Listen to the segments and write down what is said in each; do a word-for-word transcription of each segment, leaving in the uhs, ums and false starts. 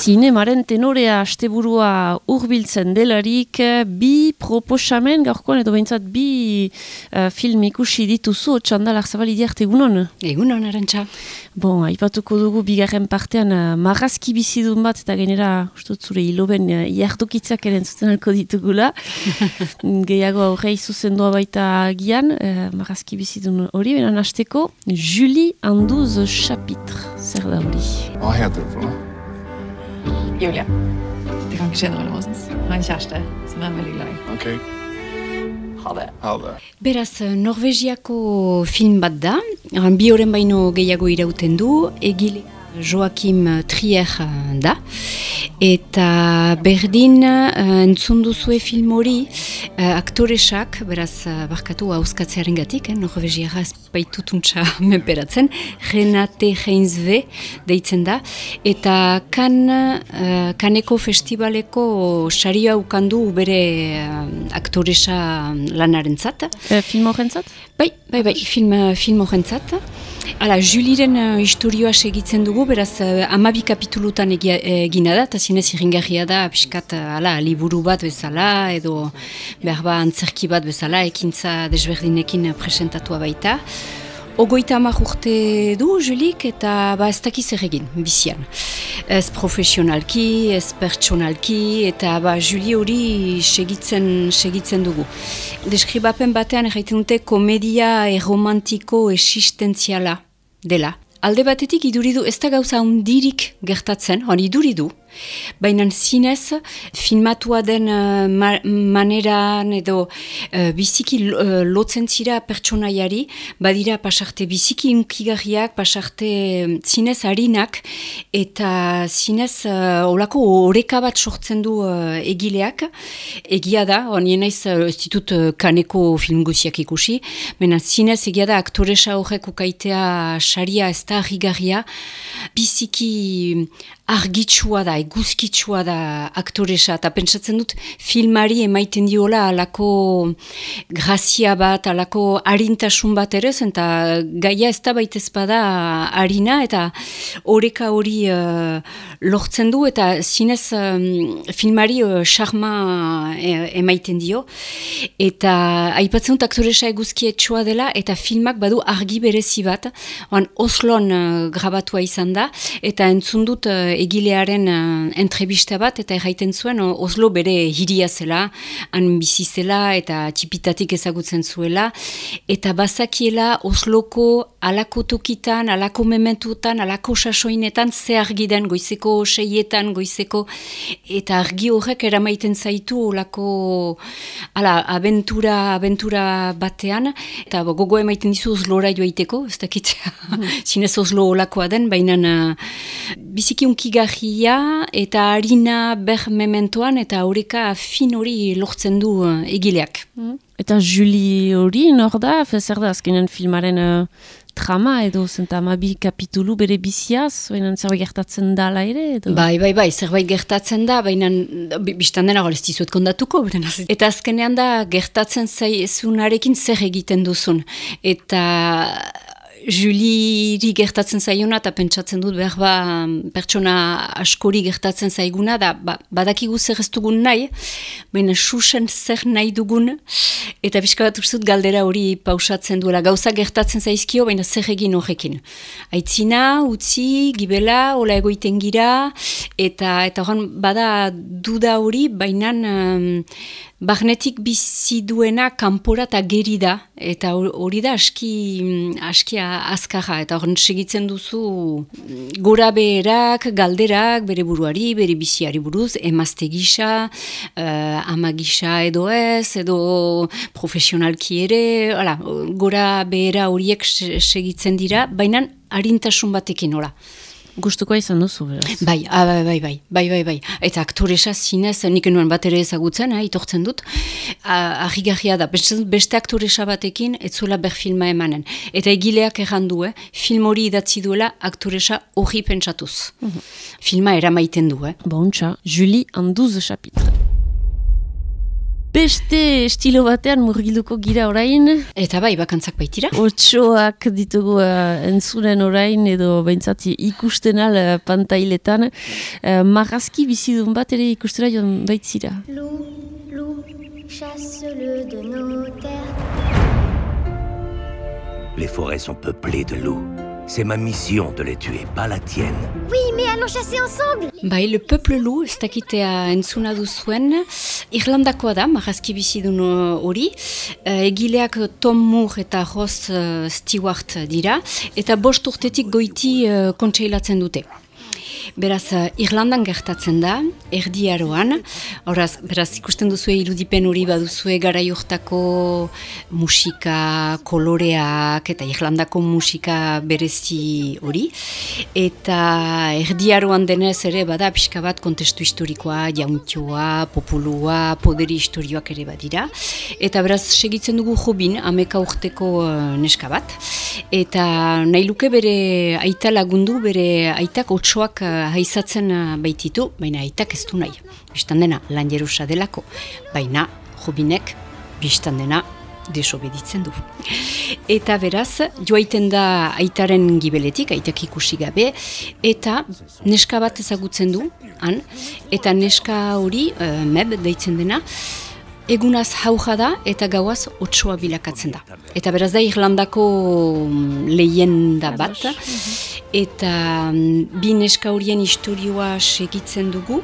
Zinemaren tenorea asteburua hurbiltzen delarik, bi proposamen gaurkoan edo behintzat bi uh, film ikusi dituzu, Txandal Arzabali egunon? Egunon, Arantxa. Bon, aipatuko dugu bigarren partean uh, marrazki bizidun bat eta genera, ustut zure hiloben uh, iardokitzak eren zuten alko ditugula. Gehiago aurrei zuzendua baita gian, uh, marrazki bizidun hori, benan hasteko Julie en douze chapitres. Zer da hori? Hva heter det for noe? Julia. Det kan ikke skje noe mellom oss. Jeg har en kjæreste som jeg er veldig glad i. Ok, Ha det. ha det. Beraz, Norvegiako film bat da, bi horren baino gehiago irauten du, egile Joachim Trier da, eta berdin uh, entzun duzue film hori uh, aktoresak, beraz, uh, barkatu hauskatzearen gatik, eh, Norvegiara ez baitutuntza menperatzen, Renate Heinzve deitzen da, eta kan, uh, kaneko festivaleko saria ukandu bere uh, aktoresa lanarentzat. Uh, film horrentzat? Bai, bai, bai, film, film horrentzat. Hala, Juliren uh, historioa segitzen dugu, beraz, uh, amabi kapitulutan egina da, eta zinez irringarria da, piskat, uh, ala, liburu bat bezala, edo behar ba antzerki bat bezala, ekintza desberdinekin presentatua baita. Ogoita hamar urte du, Julik, eta ba ez dakiz zer egin, bizian. Ez profesionalki, ez pertsonalki, eta ba Juli hori segitzen, segitzen dugu. Deskribapen batean erraiten dute komedia erromantiko existentziala dela. Alde batetik iduridu, ez da gauza hundirik gertatzen, hon iduridu, baina zinez filmatua den uh, ma maneran edo uh, biziki uh, lotzen zira pertsonaiari, badira pasarte biziki unkigarriak, pasarte zinez harinak, eta zinez uh, olako oreka bat sortzen du uh, egileak, egia da, honien naiz uh, ez ditut uh, kaneko film guziak ikusi, baina zinez egia da aktoresa horrek ukaitea saria ez da harrigarria, biziki argitsua da, eguzkitsua da aktoresa, eta pentsatzen dut filmari emaiten diola alako grazia bat, alako harintasun bat ere, eta gaia ez da baita ezpada harina, eta oreka hori uh, lortzen du, eta zinez um, filmari uh, charma uh, emaiten dio, eta aipatzen dut aktoresa eguzkietsua dela, eta filmak badu argi berezi bat, oan Oslon uh, grabatua izan da, eta entzun dut uh, egilearen uh, entrevista bat, eta erraiten zuen uh, Oslo bere hiria zela, han bizi zela, eta txipitatik ezagutzen zuela, eta bazakiela Osloko alako tokitan, alako mementutan, alako sasoinetan, ze argi den goizeko seietan, goizeko, eta argi horrek eramaiten zaitu olako ala, abentura, abentura batean, eta gogo emaiten dizu Oslora joaiteko, ez dakit, zinez Oslo olakoa den, baina uh, biziki unkigarria eta harina ber mementoan eta horreka fin hori lortzen du uh, egileak. Mm. Eta Julie hori nor da, zer da azkenen filmaren uh, trama edo zentamabi kapitulu bere biziaz, baina zerbait gertatzen dala ere? Edo? Bai, bai, bai, zerbait gertatzen da, baina biztan dena ez dizuet kondatuko. Eta azkenean da gertatzen zaizunarekin zer egiten duzun. Eta Julieri gertatzen zaiona eta pentsatzen dut behar ba pertsona askori gertatzen zaiguna da ba, badakigu zer ez dugun nahi, baina susen zer nahi dugun eta pixka bat uste dut galdera hori pausatzen duela. Gauza gertatzen zaizkio, baina zer egin horrekin. Aitzina, utzi, gibela, hola egoiten gira, eta eta horan bada duda hori, baina um, barnetik bizi duena kanpora eta geri da, eta hori da aski, aski azkarra, eta horren segitzen duzu gora beherak, galderak, bere buruari, bere biziari buruz, emazte gisa, uh, ama gisa edo ez, edo profesionalki ere, hala, gora behera horiek segitzen dira, baina harintasun batekin, hola. Gustukoa izan duzu, beraz? Bai, ah, bai, bai, bai, bai, bai, bai. Eta aktoresa zinez, nik nuen bat ere ezagutzen, eh, itortzen dut, argigarria da, beste aktoresa batekin, ez zuela ber filma emanen. Eta egileak errandu, eh, film hori idatzi duela aktoresa hori pentsatuz. Mm-hmm. Filma eramaiten du, eh. Bontxa, Julie en douze chapitres. Beste estilo batean murgilduko gira orain. Eta bai, bakantzak baitira. Otsoak ditugu uh, entzunen orain edo behintzat ikusten al uh, pantailetan. Uh, marrazki bizidun bat ere ikustera joan baitzira. Loup, loup, chasse-le de nos terres. Les forêts sont peuplées de loups. C'est ma mission de les tuer, pas la tienne. Oui, mais allons chasser ensemble. Bai, le peuple loup, ez dakitea entzuna duzuen, Irlandakoa da, marrazki bizidun hori, uh, egileak Tom Moore eta Ross uh, Stewart dira, eta bost urtetik goiti uh, kontseilatzen dute. Beraz, Irlandan gertatzen da, Erdi Aroan, horaz, beraz, ikusten duzue irudipen hori baduzue garai hortako musika, koloreak eta Irlandako musika berezi hori, eta Erdi Aroan denez ere bada pixka bat kontestu historikoa, jauntioa, populua, poderi historioak ere badira, eta beraz, segitzen dugu Jobin, ameka urteko uh, neska bat, eta nahi luke bere aita lagundu, bere aitak otsoak uh, haizatzen baititu, baina aitak ez du nahi. Bistan dena lan jerusa delako, baina Jobinek bistan dena desobeditzen du. Eta beraz, joaiten da aitaren gibeletik, aitak ikusi gabe, eta neska bat ezagutzen du, han, eta neska hori, uh, meb deitzen dena, egunaz jauja da eta gauaz otsoa bilakatzen da. Eta beraz da Irlandako leyenda bat, eta bi neska horien istorioa segitzen dugu.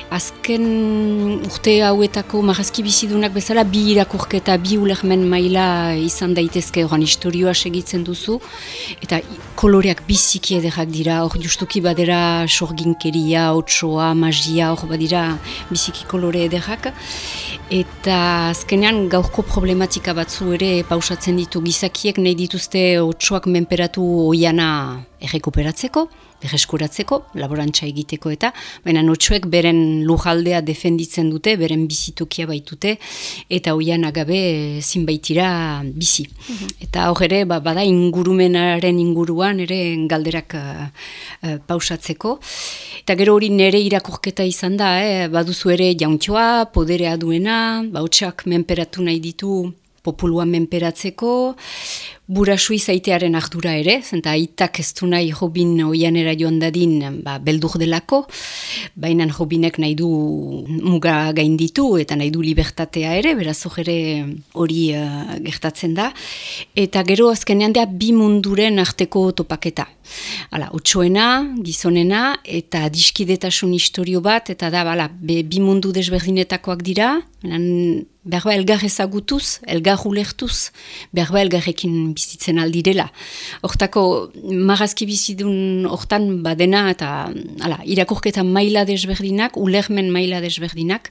Azken urte hauetako marrazki bizidunak bezala bi irakurketa, bi ulermen maila izan daitezke horan istorioa segitzen duzu, eta koloreak biziki ederrak dira, hor justuki badera sorginkeria, otsoa, magia, hor badira biziki kolore ederrak, eta azkenean gaurko problematika batzu ere pausatzen ditu gizakiek nahi dituzte otsoak menperatu oiana errekuperatzeko, berreskuratzeko, laborantza egiteko eta, baina otsoek beren lujaldea defenditzen dute, beren bizitokia baitute, eta oian agabe ezin baitira bizi. Mm-hmm. Eta hor ere, ba, bada ingurumenaren inguruan ere galderak uh, uh, pausatzeko. Eta gero hori nere irakurketa izan da, eh? Baduzu ere jauntxoa, poderea duena, ba, otsak menperatu nahi ditu, populua menperatzeko, burasui zaitearen ardura ere, zenta aitak ez du nahi Jobin oianera joan dadin ba, beldur delako, baina Jobinek nahi du muga gainditu eta nahi du libertatea ere, beraz ere hori uh, gertatzen da, eta gero azkenean da bi munduren arteko topaketa. Hala, otsoena, gizonena, eta adiskidetasun historio bat, eta da, bala, be, bi mundu desberdinetakoak dira, behar ba elgar ezagutuz, elgar ulertuz, behar ba elgarrekin bizitzen aldirela. Hortako, marrazki bizidun hortan badena, eta hala, irakurketa maila desberdinak, ulermen maila desberdinak,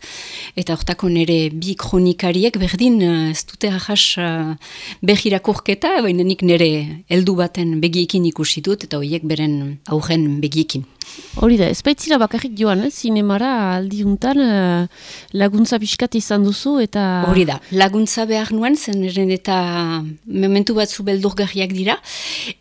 eta hortako nire bi kronikariek berdin, ez dute ahas beh irakurketa, baina nik nire heldu baten begiekin ikusi dut, eta horiek beren aurren begiekin. Hori da, ez baitzira bakarrik joan, eh? Zinemara aldiuntan uh, laguntza pixkat izan duzu, eta... Hori da, laguntza behar nuen, zen eta momentu batzu beldurgarriak dira,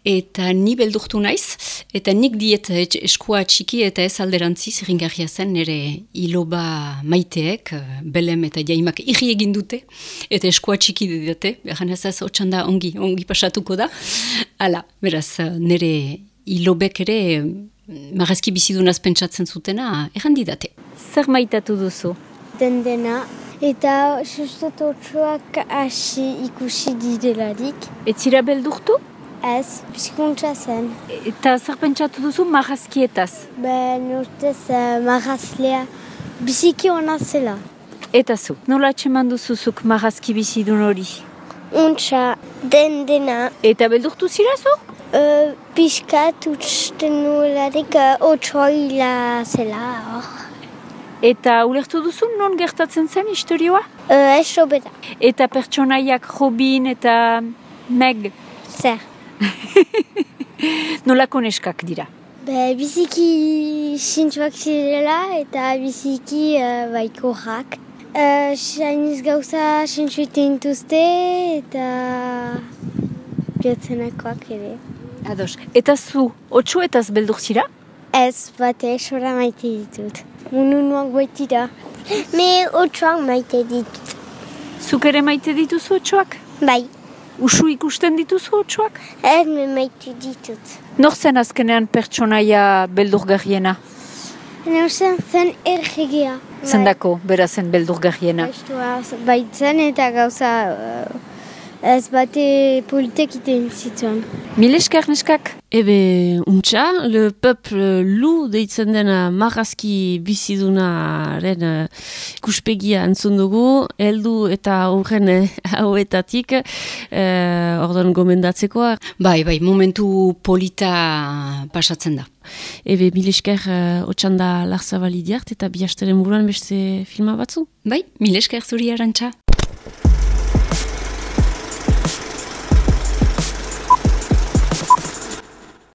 eta ni beldurtu naiz, eta nik diet eskua txiki eta ez alderantziz, ringarria zen, nire iloba maiteek, belem eta jaimak irri egin dute, eta eskua txiki didate, behar nazaz, otxanda ongi, ongi pasatuko da, hala, beraz, nire ilobek ere... Marrazki bizidunaz pentsatzen zutena, errandidate. Zer maitatu duzu? Den dena, eta sustot otsoak hasi ikusi direlarik. Ez zira beldurtu? Ez, pizkuntza zen. Eta zer pentsatu duzu marrazkietaz? Ben urtez uh, marrazlea biziki ona zela. Eta zu, nola atxeman duzuzuk marrazki bizidun hori? Untxa, den dena. Eta beldurtu zira zu? Uh, Piskat utzten nularik uh, otsoa hila zela hor. Eta ulertu duzu non gertatzen zen historioa? Uh, ez sobera. Eta pertsonaiak Jobin eta Meg? Zer. Nolako neskak dira? Be, biziki sintzuak zirela eta biziki uh, baikorrak. Uh, Sainiz gauza sintzuiten intuzte eta jotzenakoak ere. Ados. Eta zu, otsuetaz beldur zira? Ez, bate, sora maite ditut. Mununuak baitira. Me otsuak maite ditut. Zuk ere maite dituzu otsoak? Bai, Usu ikusten dituzu otsoak? ez me maitu ditut. Nor zen azkenean pertsonaia beldurgarriena? Neusen zen erregea. Zendako, bera zen beldurgarriena. Estua baitzen eta gauza uh, ez bate politek iten zituen. Mil esker neskak? Ebe, untxa, le peuple lu deitzen dena marrazki bizidunaren uh, ikuspegia entzun dugu, heldu eta horren uh, hauetatik, uh, ordon gomendatzekoa. Bai, bai, momentu polita pasatzen da. Ebe, mil esker uh, otxanda Larzabali diart eta bi hasteren buruan beste filma batzu. Bai, mil esker zuri Arantxa.